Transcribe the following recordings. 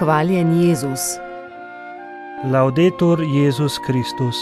Hvaljen Jezus. Laudetur Jezus Kristus.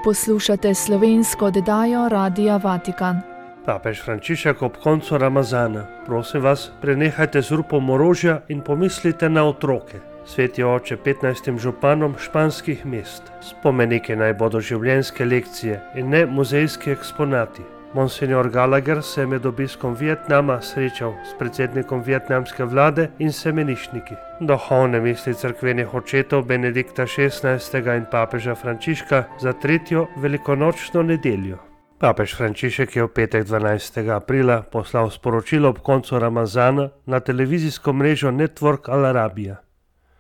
Poslušate slovensko oddajo Radia Vatikan. Papež Frančišek ob koncu Ramazana. Prosim vas, prenehajte z rupom orožja in pomislite na otroke. Sveti oče 15 županom španskih mest. Spomenike naj bodo življenjske lekcije in ne muzejski eksponati. Monsignor Gallagher se je med obiskom Vietnama srečal s predsednikom vietnamske vlade in semeniščniki. Duhovne misli cerkvenih očetov Benedikta XVI. In papeža Frančiška za 3. velikonočno nedeljo. Papež Frančišek je v petek 12. aprila poslal sporočilo ob koncu Ramazana na televizijsko mrežo Network Al Arabiya.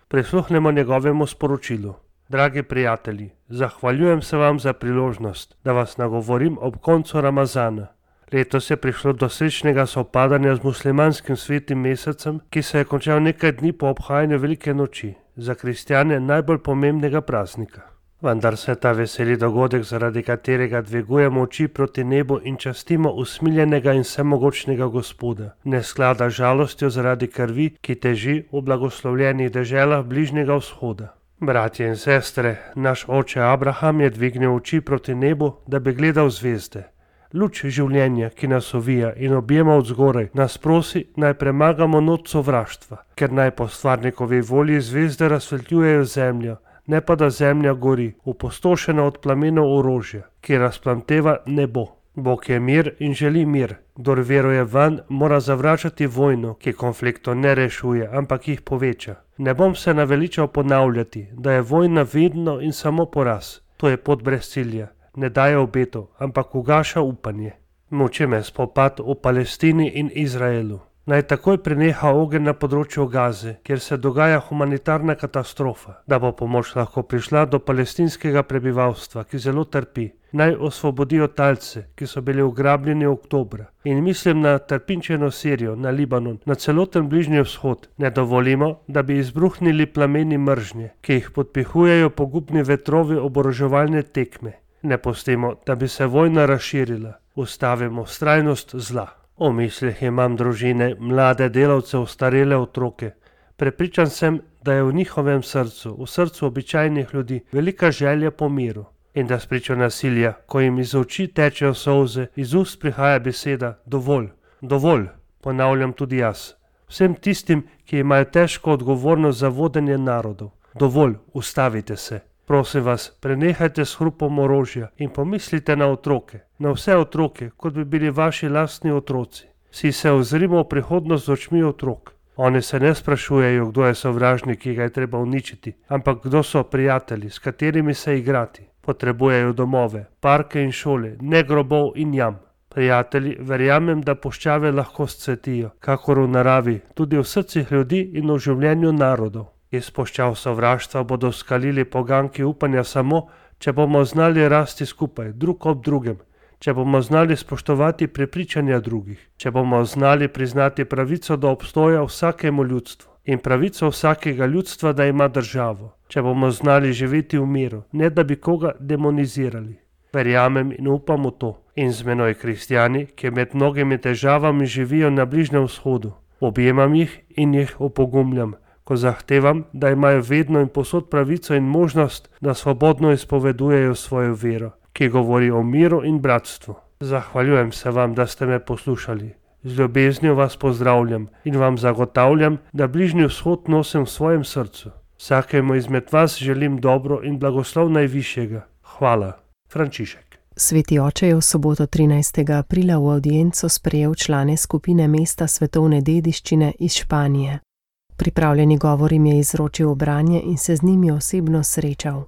Prisluhnemo njegovemu sporočilu. Dragi prijatelji, zahvaljujem se vam za priložnost, da vas nagovorim ob koncu Ramazana. Letos je prišlo do srečnega sovpadanja z muslimanskim svetim mesecem, ki se je končal nekaj dni po obhajanju velike noči, za kristjane najbolj pomembnega praznika. Vendar se ta veseli dogodek, zaradi katerega dvigujemo oči proti nebu in častimo usmiljenega in vsemogočnega Gospoda, ne sklada žalostjo zaradi krvi, ki teži v blagoslovljenih deželah Bližnjega vzhoda. Bratje in sestre, naš oče Abraham je dvignil oči proti nebu, da bi gledal zvezde. Luč življenja, ki nas ovija in objema od zgoraj, nas prosi, naj premagamo noč sovraštva, ker naj po stvarnikovi volji zvezde razsvetljujejo zemljo, ne pa da zemlja gori, opustošena od plamenov orožja, ki razplamteva nebo. Bog je mir in želi mir. Kdor veruje vanj, mora zavračati vojno, ki konfliktov ne rešuje, ampak jih poveča. Ne bom se naveličal ponavljati, da je vojna vedno in samo poraz. To je pot brez cilja. Ne daje obetov, ampak ugaša upanje. Muči me spopad v Palestini in Izraelu. Naj takoj preneha ogenj na področju Gaze, kjer se dogaja humanitarna katastrofa, da bo pomoč lahko prišla do palestinskega prebivalstva, ki zelo trpi. Naj osvobodijo talce, ki so bili ugrabljeni oktobra. In mislim na trpinčeno Sirijo, na Libanon, na celoten Bližnji vzhod. Ne dovolimo, da bi izbruhnili plameni mržnje, ki jih podpihujejo pogubni vetrovi oboroževalne tekme. Ne pustimo, da bi se vojna razširila. Ustavimo vztrajnost zla. V mislih imam družine, mlade delavce, ostarele otroke. Prepričan sem, da je v njihovem srcu, v srcu običajnih ljudi, velika želja po miru. In da spričo nasilja, ko jim iz oči tečejo solze, iz ust prihaja beseda dovolj, dovolj, ponavljam tudi jaz. Vsem tistim, ki imajo težko odgovornost za vodenje narodov. Dovolj, ustavite se. Prosim vas, prenehajte s hrupom orožja in pomislite na otroke, na vse otroke, kot bi bili vaši lastni otroci. Vsi se ozrimo v prihodnost z očmi otrok. Oni se ne sprašujejo, kdo je sovražnik, ki ga je treba uničiti, ampak kdo so prijatelji, s katerimi se igrati. Potrebujejo domove, parke in šole, ne grobov in jam. Prijatelji, verjamem, da puščave lahko scvetijo, kakor v naravi, tudi v srcih ljudi in v življenju narodov. Iz puščav sovraštva bodo skalili poganki upanja samo, če bomo znali rasti skupaj, drug ob drugem, če bomo znali spoštovati prepričanja drugih, če bomo znali priznati pravico do obstoja vsakemu ljudstvu in pravico vsakega ljudstva, da ima državo, če bomo znali živeti v miru, ne da bi koga demonizirali. Verjamem in upam v to. In z menoj kristjani, ki med mnogimi težavami živijo na Bližnjem vzhodu. Objemam jih in jih opogumljam, ko zahtevam, da imajo vedno in povsod pravico in možnost, da svobodno izpovedujejo svojo vero, ki govori o miru in bratstvu. Zahvaljujem se vam, da ste me poslušali. Z ljubeznijo vas pozdravljam in vam zagotavljam, da Bližnji vzhod nosim v svojem srcu. Vsakemu izmed vas želim dobro in blagoslov najvišjega. Hvala. Frančišek. Sveti oče je v soboto 13. aprila v avdienco sprejel člane skupine mesta svetovne dediščine iz Španije. Pripravljeni govor jim je izročil branje in se z njimi osebno srečal.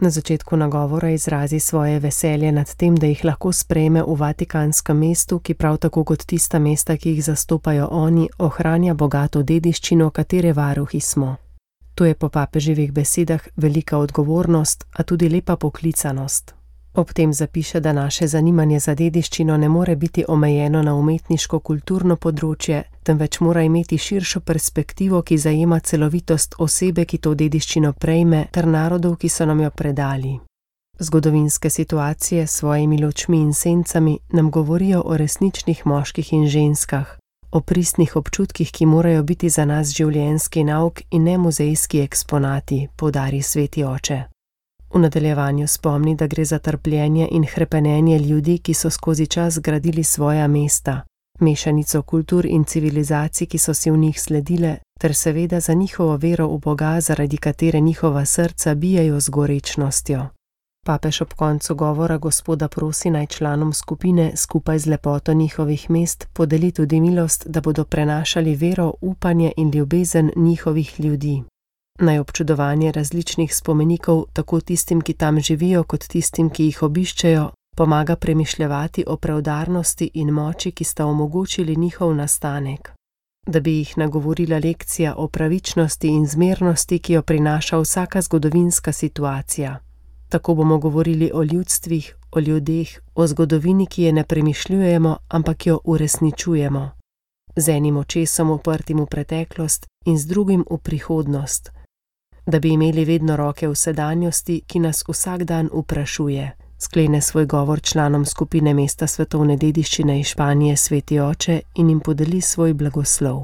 Na začetku nagovora izrazi svoje veselje nad tem, da jih lahko sprejme v Vatikanskem mestu, ki prav tako kot tista mesta, ki jih zastopajo oni, ohranja bogato dediščino, katere varuhi smo. To je po papeževih besedah velika odgovornost, a tudi lepa poklicanost. Ob tem zapiše, da naše zanimanje za dediščino ne more biti omejeno na umetniško-kulturno področje, temveč mora imeti širšo perspektivo, ki zajema celovitost osebe, ki to dediščino prejme, ter narodov, ki so nam jo predali. Zgodovinske situacije s svojimi lučmi in sencami nam govorijo o resničnih moških in ženskah, o pristnih občutkih, ki morajo biti za nas življenjski nauk in ne muzejski eksponati, poudari sveti oče. V nadaljevanju spomni, da gre za trpljenje in hrepenenje ljudi, ki so skozi čas gradili svoja mesta, mešanico kultur in civilizacij, ki so si v njih sledile, ter seveda za njihovo vero v Boga, zaradi katere njihova srca bijejo z gorečnostjo. Papež ob koncu govora Gospoda prosi, naj članom skupine skupaj z lepoto njihovih mest podeli tudi milost, da bodo prenašali vero, upanje in ljubezen njihovih ljudi. Naj občudovanje različnih spomenikov, tako tistim, ki tam živijo, kot tistim, ki jih obiščejo, pomaga premišljevati o preudarnosti in moči, ki sta omogočili njihov nastanek. Da bi jih nagovorila lekcija o pravičnosti in zmernosti, ki jo prinaša vsaka zgodovinska situacija. Tako bomo govorili o ljudstvih, o ljudeh, o zgodovini, ki je ne premišljujemo, ampak jo uresničujemo. Z enim očesom uprtim v preteklost in z drugim v prihodnost. Da bi imeli vedno roke v sedanjosti, ki nas vsak dan vprašuje. Sklene svoj govor članom skupine mesta svetovne dediščine iz Španije sveti oče in jim podeli svoj blagoslov.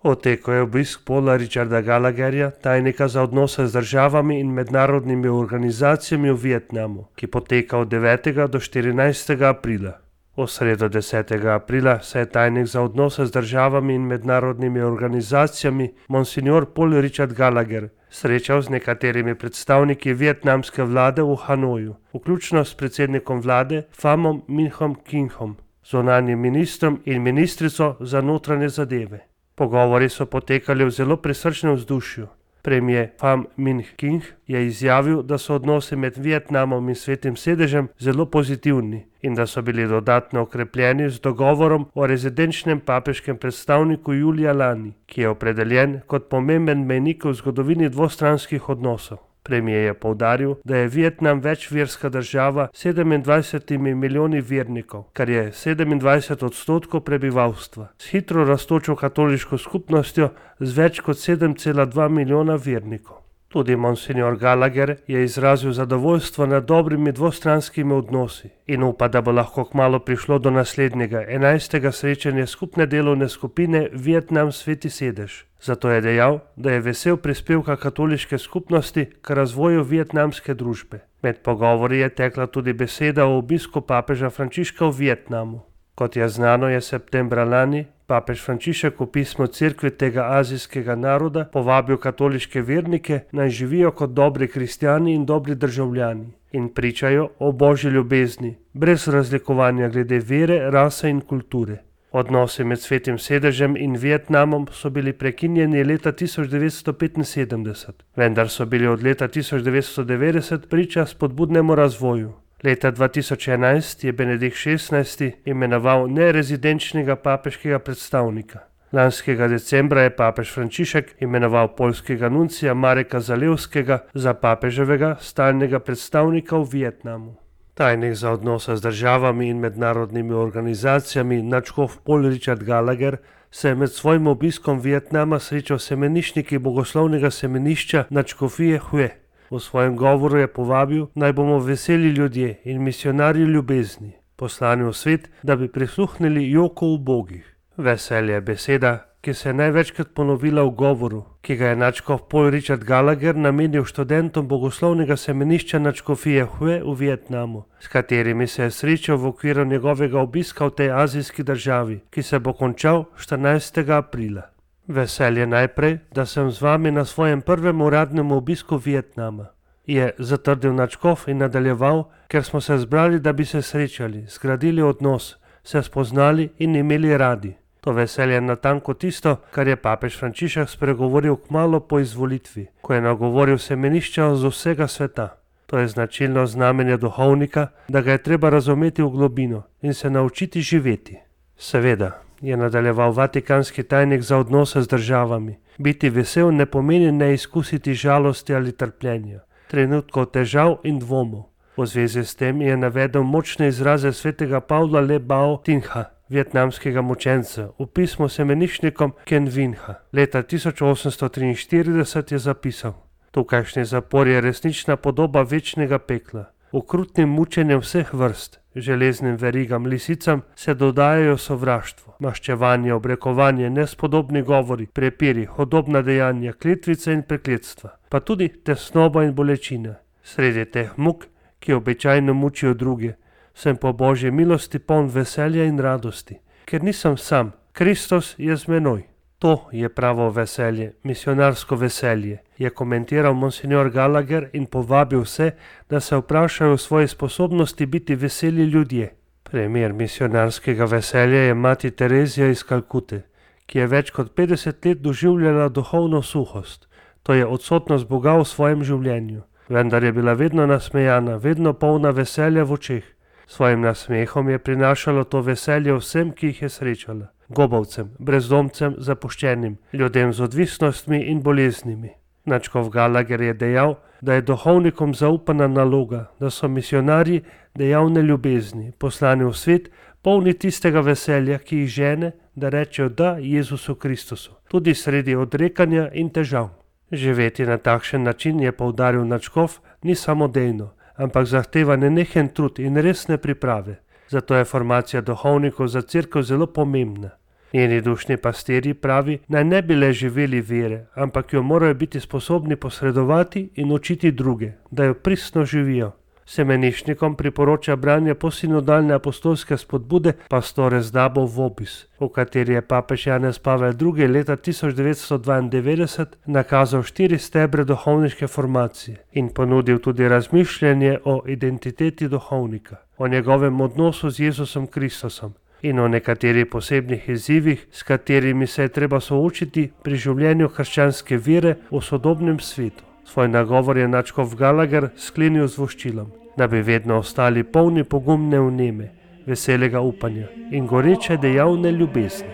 Otekel je obisk Paula Richarda Gallagherja, tajnika za odnose z državami in mednarodnimi organizacijami v Vietnamu, ki poteka od 9. do 14. aprila. V sredo 10. aprila se je tajnik za odnose z državami in mednarodnimi organizacijami Monsignor Paul Richard Gallagher srečal z nekaterimi predstavniki vietnamske vlade v Hanoju, vključno s predsednikom vlade Phamom Minhom Kinhom, zunanjim ministrom in ministrico za notranje zadeve. Pogovori so potekali v zelo prisrčnem vzdušju. Premijer Pham Minh King je izjavil, da so odnosi med Vietnamom in Svetim sedežem zelo pozitivni in da so bili dodatno okrepljeni z dogovorom o rezidenčnem papeškem predstavniku julija lani, ki je opredeljen kot pomemben mejnik v zgodovini dvostranskih odnosov. Premijer je poudaril, da je Vietnam večverska država s 27 milijoni vernikov, kar je 27% prebivalstva, s hitro rastočo katoliško skupnostjo z več kot 7,2 milijona vernikov. Tudi Monsignor Gallagher je izrazil zadovoljstvo nad dobrimi dvostranskimi odnosi in upa, da bo lahko kmalu prišlo do naslednjega 11. srečanja skupne delovne skupine Vietnam Sveti sedež. Zato je dejal, da je vesel prispevka katoliške skupnosti k razvoju vietnamske družbe. Med pogovori je tekla tudi beseda o obisku papeža Frančiška v Vietnamu. Kot je znano, je septembra lani papež Frančišek v pismu cerkvi tega azijskega naroda povabil katoliške vernike, naj živijo kot dobri kristjani in dobri državljani in pričajo o božji ljubezni, brez razlikovanja glede vere, rase in kulture. Odnosi med Svetim sedežem in Vietnamom so bili prekinjeni leta 1975, vendar so bili od leta 1990 priča spodbudnemu razvoju. Leta 2011 je Benedikt XVI imenoval nerezidenčnega papeškega predstavnika. Lanskega decembra je papež Frančišek imenoval poljskega nuncija Mareka Zalewskega za papeževega stalnega predstavnika v Vietnamu. Tajnik za odnose z državami in mednarodnimi organizacijami nadškof Paul Richard Gallagher se je med svojim obiskom Vietnama srečal s semeniščniki bogoslovnega semenišča nadškofije Hue. V svojem govoru je povabil, naj bomo veseli ljudje in misionarji ljubezni, poslani v svet, da bi prisluhnili joku ubogih. Veselje je beseda, ki se je največkrat ponovila v govoru, ki ga je nadškof Paul Richard Gallagher namenil študentom bogoslovnega semenišča nadškofije Hue v Vietnamu, s katerimi se je srečal v okviru njegovega obiska v tej azijski državi, ki se bo končal 14. aprila. Veselje najprej, da sem z vami na svojem prvem uradnem obisku Vietnama, je zatrdil nadškof in nadaljeval, ker smo se zbrali, da bi se srečali, zgradili odnos, se spoznali in imeli radi. To veselje je natanko tisto, kar je papež Frančišek spregovoril kmalu po izvolitvi, ko je nagovoril semenišča z vsega sveta. To je značilno znamenje duhovnika, da ga je treba razumeti v globino in se naučiti živeti. Seveda, je nadaljeval vatikanski tajnik za odnose z državami, biti vesel ne pomeni ne izkusiti žalosti ali trpljenja, trenutkov težav in dvomov. V zvezi s tem je navedel močne izraze svetega Pavla Le Bao Tinha, vietnamskega mučenca, v pismu semeniščnikom Ken Vinha. Leta 1843 je zapisal: Tukajšnji zapor je resnična podoba večnega pekla. Okrutnim mučenjem vseh vrst, železnim verigam, lisicam se dodajajo sovraštvo, maščevanje, obrekovanje, nespodobni govori, prepiri, hudobna dejanja, kletvice in prekletstva, pa tudi tesnoba in bolečina. Sredi teh muk, ki običajno mučijo druge, sem po Božji milosti poln veselja in radosti, ker nisem sam, Kristus je z menoj. To je pravo veselje, misionarsko veselje, je komentiral monsignor Gallagher in povabil vse, da se vprašajo o svoji sposobnosti biti veseli ljudje. Primer misionarskega veselja je mati Terezija iz Kalkute, ki je več kot 50 let doživljala duhovno suhost, to je odsotnost Boga v svojem življenju. Vendar je bila vedno nasmejana, vedno polna veselja v očeh. Svojim nasmehom je prinašalo to veselje vsem, ki jih je srečala. Gobavcem, brezdomcem, zapuščenim, ljudem z odvisnostmi in boleznimi. Nadškof Gallagher je dejal, da je duhovnikom zaupana naloga, da so misionarji dejavne ljubezni, poslani v svet, polni tistega veselja, ki jih žene, da rečejo da Jezusu Kristusu, tudi sredi odrekanja in težav. Živeti na takšen način, je poudaril nadškof, ni samodejno, ampak zahteva nenehen trud in resne priprave. Zato je formacija duhovnikov za cerkev zelo pomembna. Njeni dušni pastirji pravi, naj ne bi le živeli vere, ampak jo morajo biti sposobni posredovati in učiti druge, da jo pristno živijo. Semenišnikom priporoča branje posinodalne apostolske spodbude Pastores Dabo Vobis, v kateri je papež Janez Pavel II. Leta 1992 nakazal 4 stebre duhovniške formacije in ponudil tudi razmišljanje o identiteti duhovnika, o njegovem odnosu z Jezusom Kristusom in o nekaterih posebnih izzivih, s katerimi se je treba soočiti pri življenju krščanske vere v sodobnem svetu. Svoj nagovor je nadškof Gallagher sklenil z voščilom, da bi vedno ostali polni pogumne vneme, veselega upanja in goreče dejavne ljubezni.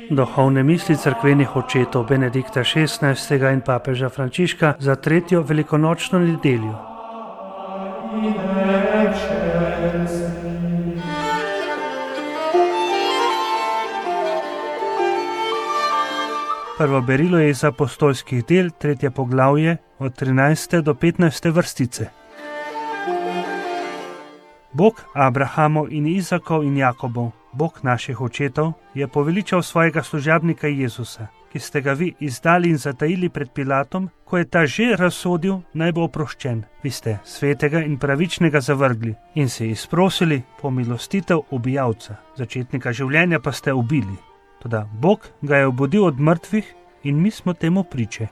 Duhovne misli cerkvenih očetov Benedikta XVI. In papeža Frančiška za 3. velikonočno nedeljo. Prvo berilo je iz apostolskih del, 3. poglavje, od 13. do 15. vrstice. Bog Abrahamov in Izakov in Jakobov, Bog naših očetov, je poveličal svojega služabnika Jezusa, ki ste ga vi izdali in zatajili pred Pilatom, ko je ta že razsodil, naj bo oproščen. Vi ste svetega in pravičnega zavrgli in se izprosili pomilostitev ubijalca, začetnika življenja pa ste ubili. Toda Bog ga je obudil od mrtvih in mi smo temu priče.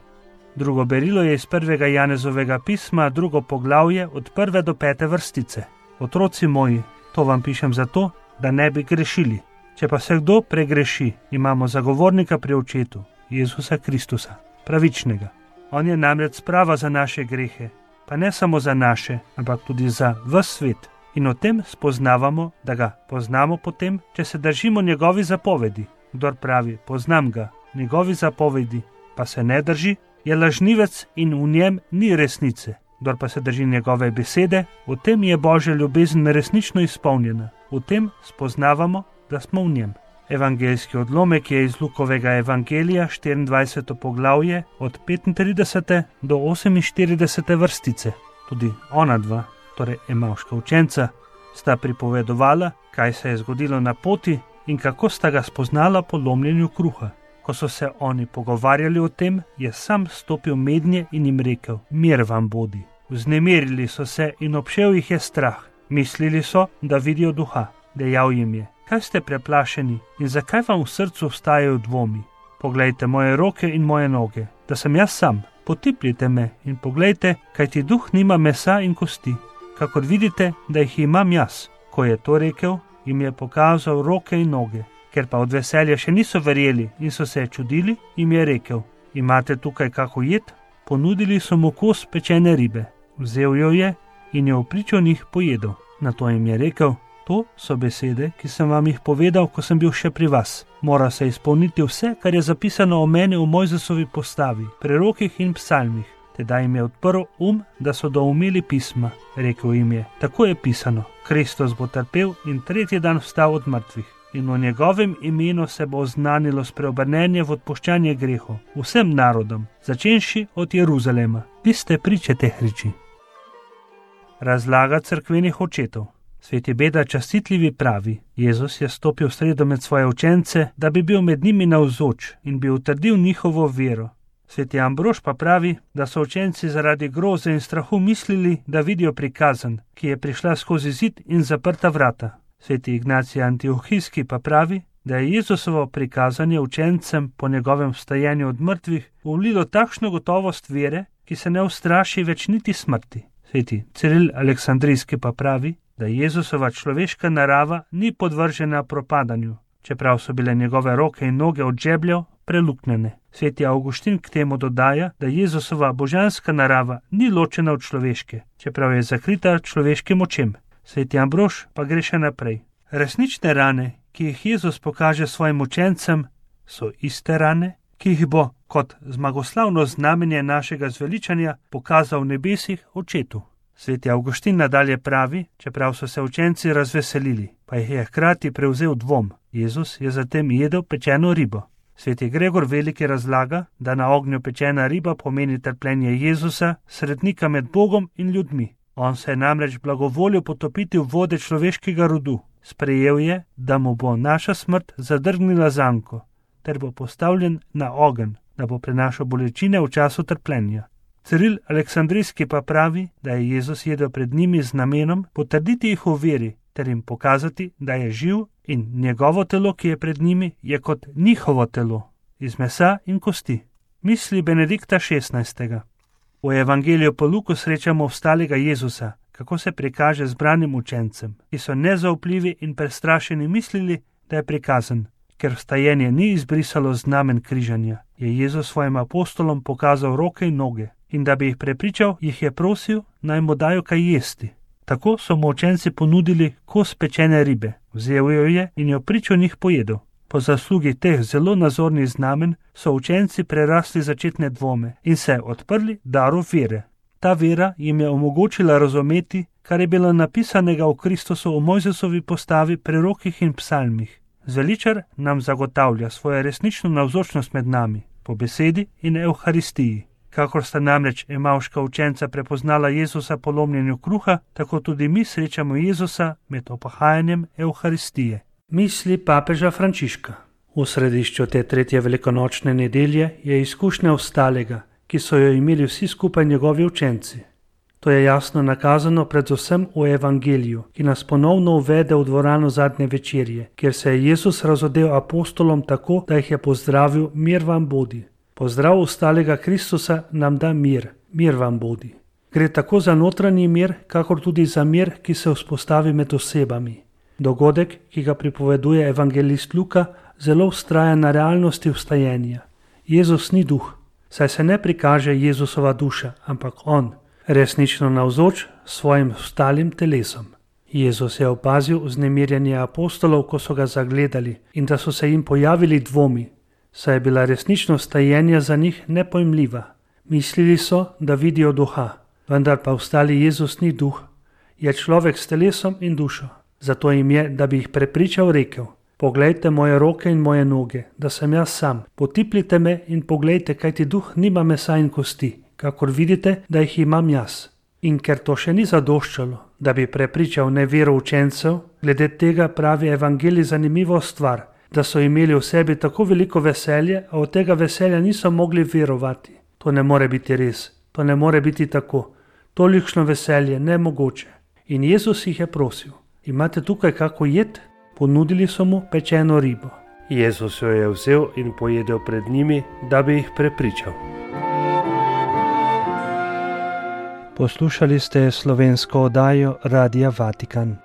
Drugo berilo je iz 1. Janezovega pisma, 2. poglavje, od 1. do 5. vrstice. Otroci moji, to vam pišem zato, da ne bi grešili. Če pa se kdo pregreši, imamo zagovornika pri očetu, Jezusa Kristusa, pravičnega. On je namreč sprava za naše grehe, pa ne samo za naše, ampak tudi za ves svet. In o tem spoznavamo, da ga poznamo potem, če se držimo njegovi zapovedi. Kdor pravi, poznam ga, njegovi zapovedi, pa se ne drži, je lažnivec in v njem ni resnice. Kdor pa se drži njegove besede, v tem je Božja ljubezen resnično izpolnjena. V tem spoznavamo, da smo v njem. Evangeljski odlomek je iz Lukovega evangelija, 24. poglavje, od 35. do 48. vrstice. Tudi ona dva, torej emavška učenca, sta pripovedovala, kaj se je zgodilo na poti in kako sta ga spoznala po lomljenju kruha. Ko so se oni pogovarjali o tem, je sam stopil mednje in jim rekel, mir vam bodi. Vznemirili so se in obšel jih je strah. Mislili so, da vidijo duha. Dejal jim je, kaj ste preplašeni in zakaj vam v srcu vstajajo dvomi? Poglejte moje roke in moje noge, da sem jaz sam. Potipljite me in poglejte, kajti duh nima mesa in kosti, kakor vidite, da jih imam jaz. Ko je to rekel, jim je pokazal roke in noge. Ker pa od veselja še niso verjeli in so se čudili, jim je rekel, imate tukaj kako jed? Ponudili so mu kos pečene ribe. Vzel jo je in jo v pričo njih pojedel. Nato jim je rekel, to so besede, ki sem vam jih povedal, ko sem bil še pri vas. Mora se izpolniti vse, kar je zapisano o meni v Mojzesovi postavi, prerokih in psalmih. Tedaj jim je odprl da so doumeli pisma. Rekel jim je, tako je pisano, Kristus bo trpel in 3. dan vstal od mrtvih. in v njegovem imenu se bo oznanilo spreobrnenje v odpuščanje grehov vsem narodom, začenši od Jeruzalema. Vi ste priče teh reči. Razlaga cerkvenih očetov. Sveti Beda Častitljivi pravi: Jezus je stopil v sredo med svoje učence, da bi bil med njimi navzoč in bi utrdil njihovo vero. Sveti Ambrož pa pravi, da so učenci zaradi groze in strahu mislili, da vidijo prikazan, ki je prišla skozi zid in zaprta vrata. Sveti Ignacij Antiohijski pa pravi, da je Jezusovo prikazanje učencem po njegovem vstajenju od mrtvih vlilo takšno gotovost vere, ki se ne ustraši več niti smrti. Sveti Ciril Aleksandrijski pa pravi, da Jezusova človeška narava ni podvržena propadanju, čeprav so bile njegove roke in noge od žebljev preluknjene. Sveti Avguštin k temu dodaja, da Jezusova božanska narava ni ločena od človeške, čeprav je zakrita človeškim očem. Sveti Ambrož pa gre še naprej. Resnične rane, ki jih Jezus pokaže svojim učencem, so iste rane, ki jih bo kot zmagoslavno znamenje našega zveličanja pokazal v nebesih očetu. Sveti Avguštin nadalje pravi, čeprav so se učenci razveselili, pa jih je hkrati prevzel dvom. Jezus je zatem jedel pečeno ribo. Sveti Gregor Veliki razlaga, da na ognju pečena riba pomeni trpljenje Jezusa, srednika med Bogom in ljudmi. On se je namreč blagovolil potopiti v vode človeškega rodu. Sprejel je, da mu bo naša smrt zadrgnila zanko, ter bo postavljen na ogenj, da bo prenašal bolečine v času trpljenja. Ciril Aleksandrijski pa pravi, da je Jezus jedel pred njimi z namenom potrditi jih v veri, ter jim pokazati, da je živ in njegovo telo, ki je pred njimi, je kot njihovo telo, iz mesa in kosti. Misli Benedikta XVI. V Evangeliju po Luku srečamo vstalega Jezusa, kako se prikaže zbranim učencem, ki so nezaupljivi in prestrašeni mislili, da je prikazan. Ker vstajenje ni izbrisalo znamen križanja, je Jezus svojim apostolom pokazal roke in noge in da bi jih prepričal, jih je prosil, naj mu dajo kaj jesti. Tako so mu učenci ponudili kos pečene ribe, vzel jo je in jo pričo njih pojedel. Po zaslugi teh zelo nazornih znamen so učenci prerasli začetne dvome in se odprli daru vere. Ta vera jim je omogočila razumeti, kar je bilo napisanega v Kristusu v Mojzesovi postavi, prerokih in psalmih. Zveličar nam zagotavlja svojo resnično navzočnost med nami, po besedi in evharistiji. Kakor sta namreč emavška učenca prepoznala Jezusa po lomljenju kruha, tako tudi mi srečamo Jezusa med opahajanjem evharistije. Misli papeža Frančiška. V središču te tretje velikonočne nedelje je izkušnja vstalega, ki so jo imeli vsi skupaj njegovi učenci. To je jasno nakazano predvsem v Evangeliju, ki nas ponovno uvede v dvorano zadnje večerje, kjer se je Jezus razodel apostolom tako, da jih je pozdravil: mir vam bodi. Pozdrav vstalega Kristusa nam da mir, mir vam bodi. Gre tako za notranji mir, kakor tudi za mir, ki se vzpostavi med osebami. Dogodek, ki ga pripoveduje evangelist Luka, zelo vztraja na realnosti vstajenja. Jezus ni duh, saj se ne prikaže Jezusova duša, ampak on, resnično navzoč s svojim vstalim telesom. Jezus je opazil vznemirjenje apostolov, ko so ga zagledali, in da so se jim pojavili dvomi, saj je bila resničnost vstajenja za njih nepojmljiva. Mislili so, da vidijo duha, vendar pa vstali Jezus ni duh, je človek s telesom in dušo. Zato jim je, da bi jih prepričal, rekel: poglejte moje roke in moje noge, da sem jaz sam. Potipljite me in poglejte, kajti duh nima mesa in kosti, kakor vidite, da jih imam jaz. In ker to še ni zadoščalo, da bi prepričal nevero učencev, glede tega pravi evangelij zanimivo stvar, da so imeli v sebi tako veliko veselje, a od tega veselja niso mogli verovati. To ne more biti res, to ne more biti tako. Tolikšno veselje nemogoče. In Jezus jih je prosil: imate tukaj kako jed? Ponudili so mu pečeno ribo. Jezus jo je vzel in pojedel pred njimi, da bi jih prepričal. Poslušali ste slovensko oddajo Radia Vatikan.